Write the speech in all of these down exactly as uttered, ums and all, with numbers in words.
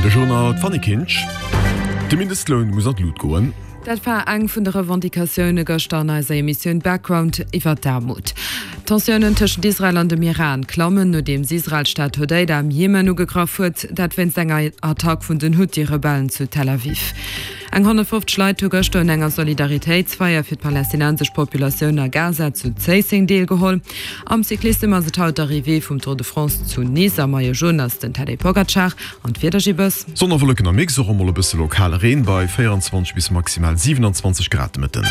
De Journal d'Fanny Kinsch. De Mindestloun muss an d'Lut goen. Dat war eng vun de Revendicatioune gëschter an eiser Emissioun Background iwwer d'Aarmut. D'Tensiounen tëschent Israel an dem Iran klammen, nodeems Israel d'Stad Hodeida am Jemen ugegraff huet, dat wéinst enger Attack vun den Huthi-Rebellen zu Tel Aviv. Eng honnertfofzeg Leit hu gëschter un enger Solidaritéitsfeier fir d'palästinensesch Populatioun a Gaza zu Zéisseng deelgeholl. Am Cyclissem ass et haut d'Arrivée vum Tour de France zu Nice. Am Maillot Jaune ass den Tadej Pogacar. An d'Wieder, Gibes? Sonn a Wolleken am Mix, och emol e bësse lokale Reen bei véierundzwanzeg bis maximal siwenanzwanzeg Grad de Mëtten.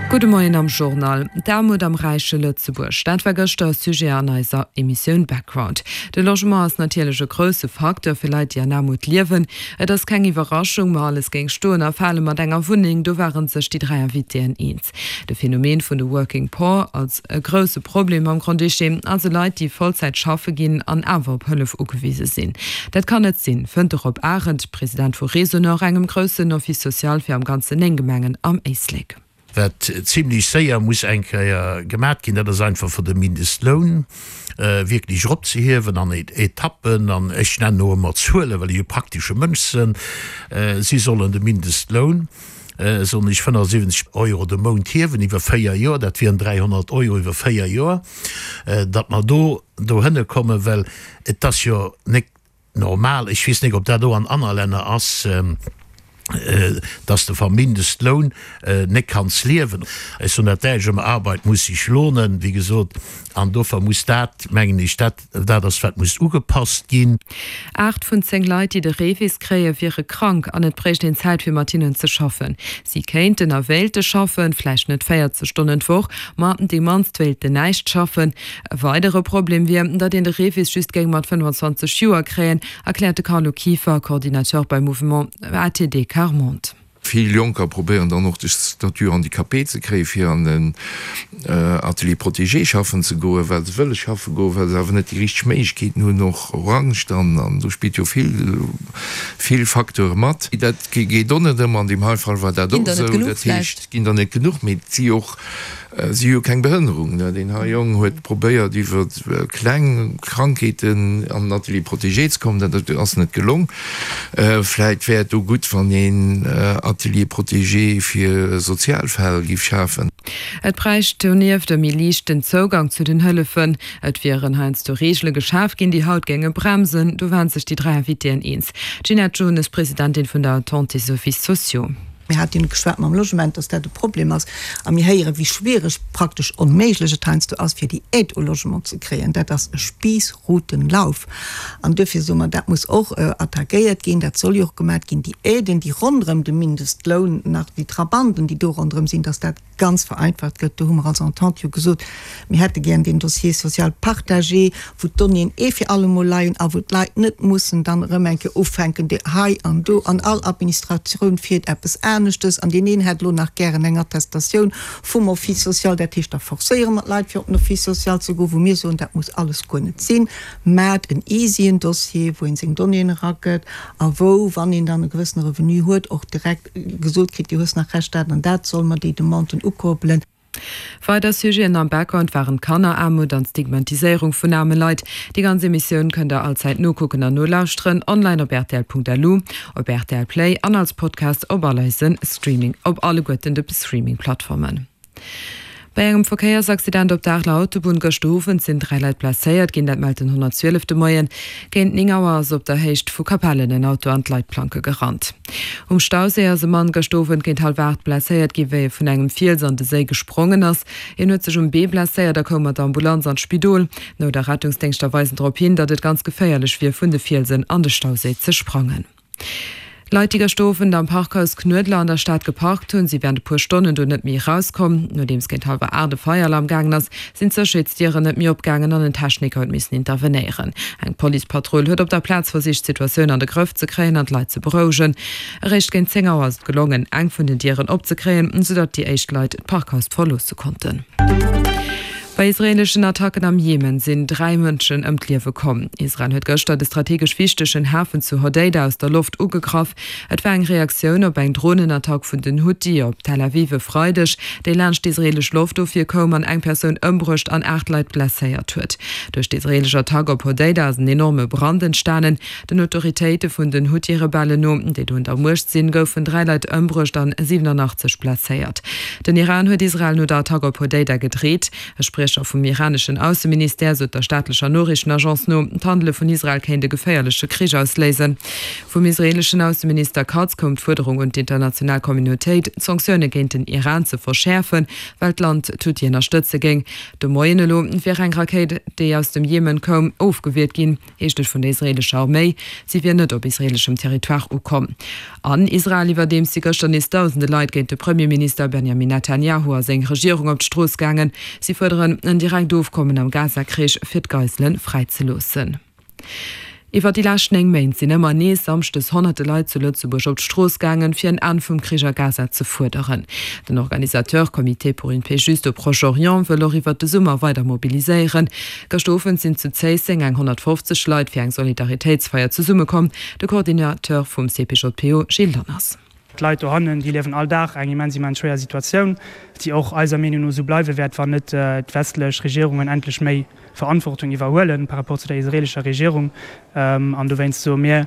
Gudde Moien am Journal. D'Aarmut am räiche Lëtzebuerg, dat war gëschter e Sujet an eiser Emissioun Background. De Logement ass natierlech e grousse Facteur fir Leit, déi an Aarmut liewen. Et ass keng Iwwerraschung, ma alles géing stoen a fale mat enger Wunneng, do ware sech déi dräi Invitéen eens. De Phänomen vun de Working Poor als e grousse Problem am Grand-Duché, also Leit, déi Vollzäit schaffe ginn an awer op Hëllef ugewise sinn. Dat kann net sinn, fënnt de Rob Arendt, President vu Resonor, engem groussen Office social fir am Ganzen néng Gemengen am Éislek. Wat zimlech séier muss eng Kéier gemat ginn, dat ass einfach fir de Mindestloun wierklech eropzehiewen an Etappen. An ech nennen och ëmmer Zuelen, well ech e praktesche Mënsch sinn. Si sollen de Mindestloun, soen ech, fënnefundsiwwenzeg Euro de Mount hiewen iwwer véier Joer, dat wieren dräihonnert Euro iwwer véier Joer, datt mer do dohënne kommen, well et ass jo nek normal, ech weess nek, ob dat och an anner Länner ass, dass de vam Mindestloun nek kanns liewen. Ech soen dat däitsch ëmmer, Arbeit muss sich lohnen, wéi gesot, an dofir muss dat, mengen ech, dat dat ass, wat muss ugepasst ginn. Aacht vun zéng Leit, déi de REVIS kréien, wiere krank an et bréicht een Zäit, fir mat hinnen ze schaffen. Si kéinten a wéilte schaffen, vläicht net véierzeg Stonnen d'Woch, ma déi mannst wéilten näischt schaffen. E weidere Problem wier, datt een de REVIS just géing mat fënnefenzwanzeg Joer kréien, erkläert de Carlo Kieffer, Coordinateur beim Mouvement A T D Quart Monde. Vill Jonker probéieren dann och de Statut handicapé ze kréien, fir an den Atelier protégé schaffen ze goen, well se wëlle schaffe goen, well se awer net déi richteg Méiglechkeeten hunn, och Angscht an an do spillt jo vill, vill Facteure mat. Dat geet och net ëmmer, an deem hei Fall war dat Ginn och der net esou. genuch Dat heescht, vläicht? et ginn der net genuch, mee et si och Si hu keng Behënnerung. Deen hei Jong huet probéiert iwwer kleng Krankheeten an den Atelier protégé ze kommen, dat ass net gelong. Vläit wär et do gutt, wann een Atelier protégé fir sozial Fäll giff schafen. Et bräicht donieft e méi liichten Zougang zu den Hëllefen. Et wieren heiansdo Reegele geschaf ginn, déi haut géinge bremsen. Do waren sech déi dräi Invitéen eens. D'Ginette Jones, Presidentin vun der Entente des Offices sociaux. Mir haten geschwat mam Logement, dass dat e Problem ass, a mir héieren, wéi schwiereg, praktesch onméiglech et heiansdo ass, fir déi Aide au logement ze kréien. Dat ass e Spiissrutenlauf. An duerfir soe mer, dat muss och attackéiert ginn, dat soll jo och gemat ginn, déi Aiden, déi ronderëm de Mindestloun nach, déi Trabanten, déi do ronderëm sinn, dass dat ganz vereinfacht gëtt. Do hu mer als Entente jo gesot, mir hätte gären deen Dossier social partagé, wou d'Donnéeën ee fir allemol leien a wou d'Leit net mussen dann erëm eng Kéier ufänken, déi hei an do, an all Administratioun fiert eppes aneschtes an deen een hätt elo nach gären eng Attestatioun vum Office social. Dat heescht, da forcéiere mer d'Leit, fir op den Office social ze goen, wou mir soen, dat muss alles guer net sinn. Maacht en easyen Dossier, wou een seng Donnéeën eragëtt a wou, wann een dann e gewëssene Revenu huet, och direkt gesot kritt, Dir hues nach Recht dat an dat, solle mer déi Demanden ukoppelen. Weider Sujeten am Background waren d'Kanneraarmut an d'Stigmatiséierung vun aarme Leit. Déi ganz Emissioun kënnt der allzäit nokucken an nolauschteren online op rtl Punkt L U, op R T L Play an als Podcast op all eisen Streaming, op alleguerten de Streaming-Plattformen. Bei engem Verkéiersaccident op der Areler Autobunn gëschter Owend sinn dräi Leit blesséiert ginn, dat mellt den honnertzwielef de Moien. Géint néng Auer ass op der Héicht vu Capellen en Auto an d'Leitplanke gerannt. Um Stauséi ass e Mann gëschter Owend géint hallwer aacht blesséiert ginn, wéi e vun engem Fiels an de Séi gesprongen ass. Hien huet sech um Bee blesséiert a koum mat der Ambulanz an d'Spidol. Nout a Rettungsdéngschter weisen drop hin, datt et ganz geféierlech wier, vun de Fielsen an de Stauséi ze sprangen. Leit, déi gëschter Owend am Parkhaus Knuedler an der Stad geparkt hunn, si wärend e puer Stonnen do net méi erauskomm. Nodeems géint hallwer aacht e Feieralarm gaangen ass, sinn d'Sécherheetsdieren net méi opgaangen an en Techniker huet missen intervenéieren. Eng Policepatrull huet op der Plaz versicht, d'Situatioun an de Grëff ze kréien an d'Leit ze berouegen. Eréischt géint zéng Auer ass et gelongen, eng vun den Dieren opzekréien, soudatt déi éischt Leit d'Parkhaus verloosse konnten. Bei israeeleschen Attacken am Jemen sinn dräi Mënschen ëm d'Liewe komm. Israel huet gëschter de strategesch wichtegen Hafen zu Hodeida aus der Loft ugegraff. Et war eng Reaktioun op eng Dronenattack vun den Huthi op Tel Aviv e Freideg, déi laanscht d'israeelesch Loftofwier koum an eng Persoun ëmbruecht an aacht Leit blesséiert huet. Duerch d'israeelesch Attack op Hodeida ass en enorme Brand entstanen. Den Autoritéite vun den Huthi-Rebellen no, déi do un der Muecht sinn, goufen dräi Leit ëmbruecht an siwenanachtzeg blesséiert. Den Iran huet Israel no der Attack op Hodeida gedreet. E Spriecher vum iraneschen Ausseministère sot der staatlecher Noriichtenagence no, d'Handele vun Israel kéint e geféierleche Krich ausléisen. Vum israeeleschen Ausseminister Katz koum d'Fuerderung un d'international Communautéit, d'Sanktioune géint den Iran ze verschäerfen, well d'Land d'Huthi ënnerstëtze géing. De Moien elo wier eng Rakéit, déi aus dem Jemen koum, ofgewiert ginn, heescht et vun der israeelescher Arméi. Si wier net op israeeleschem Territoire ukomm. An Israel iwwerdeems si gëschter nees dausende Leit géint de Premierminister Benjamin Netanjahu a seng Regierung op d'Strooss gaangen. Si fuerderen en direkt Ofkommen am Gaza-Krich, fir d'Geisele fräizeloossen. Iwwer déi lescht néng Méint sinn ëmmer nees samschdes honnerte Leit zu Lëtzebuerg op d'Strooss gaangen, fir en Enn vum Krich a Gaza ze fuerderen. Den Organisateur Comité pour une paix juste au Proche-Orient wëll och iwwer de Summer weider mobiliséieren. Gëscht Owend sinn zu Zéisseng eng honnertfofzeg Leit fir eng Solidaritéitsfeier zesummekomm. De Coordinateur vum C P J P O Gilles Lanners. D'Leit dohannen, déi liewen all Dag eng immens, immens schwéier Situatioun, déi och eiser Meenung no esou bleiwe wäert, wann net d'westlech Regierungen endlech méi Verantwortung iwwerhuelen par rapport zu der israeelescher Regierung. An dowéinst soe mir,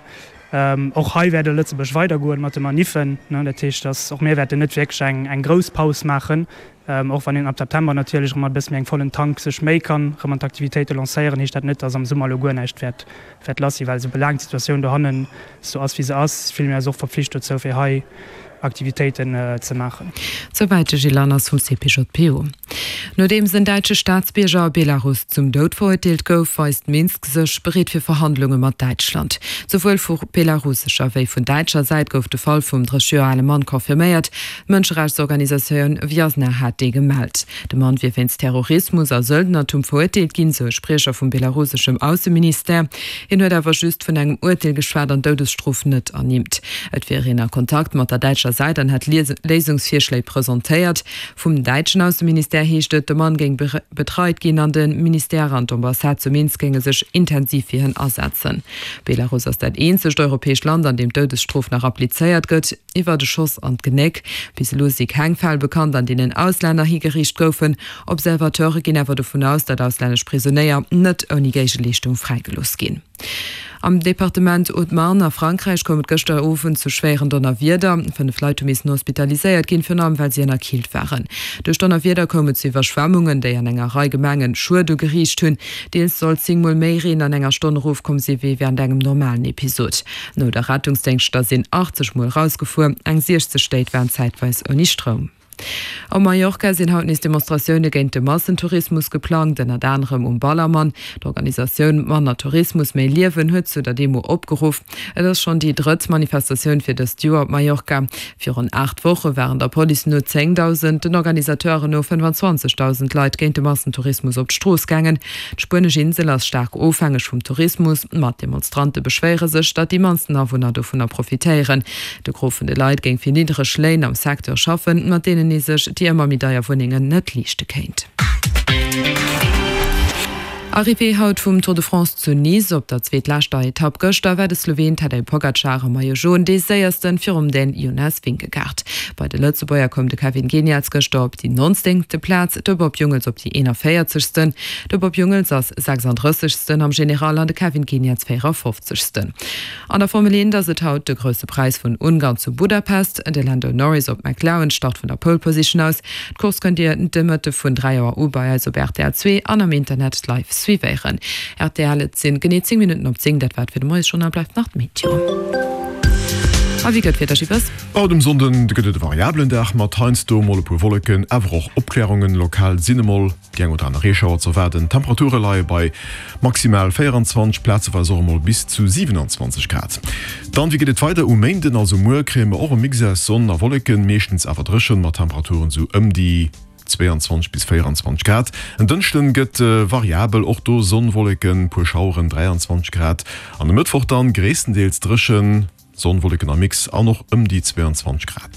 och hei wäert Lëtzebuerg weidergoen mat de Maniffen. Dat heescht, dass och mir wäerten net wierklech eng grouss Paus maachen, och wann een ab September natierlech erëm mat e bësse méi engem vollen Tank sech méi kann erëm an d'Aktivitéite lancéieren, heescht dat net, dass am Summer elo guer näischt wäert wäert lass sinn, well soulaang d'Situatioun dohannen esou ass, wéi se ass, fille mir eis och verpflicht dozou, fir hei Aktivitéiten ze maachen. Souwäit de Gilles Lanners vum C P J P O. Nodeems en däitsche Staatsbierger a Belarus zum Doud verurteelt gouf, weist Minsk sech bereet fir Verhandlunge mat Däitschland. Souwuel vu belarussescher wéi vun däitscher Säit gouf de Fall vum drësseg Joer ale Mann confirméiert. D'Mënscherechtsorganisatioun Viasna hat dee gemellt. De Mann wier wéinst Terrorismus a Söldnertum verurteelt ginn, sou e Spriecher vum belaruseschem Ausseministère. Hien huet awer just vun engem Urteel geschwat an d'Doudesstrof net ernimmt. Et wier een a Kontakt mat der däitscher Säit an hätt Léisungsvirschléi presentéiert. Vum däitschen Ausseministère heescht et, de Mann géing betreit ginn an de Ministère an d'Ambassade zu Minsk géinge sech intensiv fir hien asetzen. Belarus ass dat eenzegt europäescht Land, an deem d'Doudesstrof nach applizéiert gëtt, iwwert e Schoss an d'Genéck. Bis elo si keng Fäll bekannt, an deenen Auslänner higeriicht goufen. Observateure ginn awer dovun aus, datt auslännesch Prisonéier net ouni Géigeleeschtung fräigelooss ginn. Am Departement Haute-Marne a Frankräich koum et gëschter Owend zu schwéieren Donnerwieder. Fënnef Leit hu missen hospitaliséiert ginn, virun allem well si ënnerkillt waren. Duerch d'Donnerwieder koum et zu Iwwerschwemmunge, déi an enger Rei Gemengen Schued ugeriicht hunn. Deels soll zéng Mol méi Reen an enger Stonn erofkomm si wéi wärend engem normalen Episod. Nout a Rettungsdéngschter sinn achtzeg Mol erausgefuer, eng siechzeg Stéit waren zäitweis ouni Stroum. Op Mallorca sinn haut nees Demonstratioune géint de Massentourismus geplangt, ënnert anerem um Ballermann. D'Organisatioun Manner Tourismus, méi Liewen huet zu der Demo opgeruff. Et ass schonn déi drëtt Manifestatioun fir dëst Joer op Mallorca. Virun aacht Woche waren der Police no zéngdausend, den Organisateuren no fënnefanzwanzegdausend Leit géint de Massentourismus op d'Strooss gaangen. D'spuenesch Insel ass staark ofhängeg vum Tourismus, ma d'Demonstrante beschwéiere sech, datt déi mannsten Awunner dovunner profitéieren. De Gros vun de Leit géing fir niddereg Léin am Secteur schaffen, mat deenen ee sech déi ëmmer méi deier Wunnengen net liichte kéint. Arrivée haut vum Tour de France zu Nice. Op der zweetleschter Etapp gëschter war de Sloween Tadej Pogacar am Maillot Jaune dee séiersten virum Dän Jonas Vingegaard. Bei de Lëtzebuerger koum de Kevin Geniets gëschter op déi nonzéngte Plaz, de Bob Jungels op déi eenanvéierzegsten. De Bob Jungels ass sechsandrëssegsten am General an de Kevin Geniets véierafofzegsten. An der Formel eent ass et haut de Grousse Präis vun Ungarn zu Budapest. De Lando Norris op McLaren start vun der Pole Position aus. D'Course kënnt Dir de Mëtte vun dräi Auer u bei eis op R T L zwee an am Internet live suivéieren. R T L, Et sinn genee zéng Minutten op zéng. Dat war et fir de Moiesjournal. Bleift nach d'Meteo. A wéi gëtt d'Wieder, Gibbes? Haut um Sonnden gëtt et e variabelen Dag mat heiansdo mol e puer Wolleken, awer och Opklärungen. Lokal sinn emol déi eng oder aner Reeschauer ze erwaarden. D'Temperature leie bei maximal véieranzwanzeg, plazeweis och emol bis zu siwenanzwanzeg Grad. Dann, wéi geet et weider? Um Méinden, also muer, kréie mer och e Mix aus Sonn a Wolleken, meeschtens awer dréchen, mat Temperaturen sou ëm déi zwéianzwanzeg bis véieranzwanzeg Grad. En Dënschden gëtt variabel, och do Sonn, Wolleken, puer Schaueren, dräianzwanzeg Grad. An e Mëttwoch dann gréisstendeels dréchen, Sonn, Wolleken am Mix an och ëm déi zwéianzwanzeg Grad.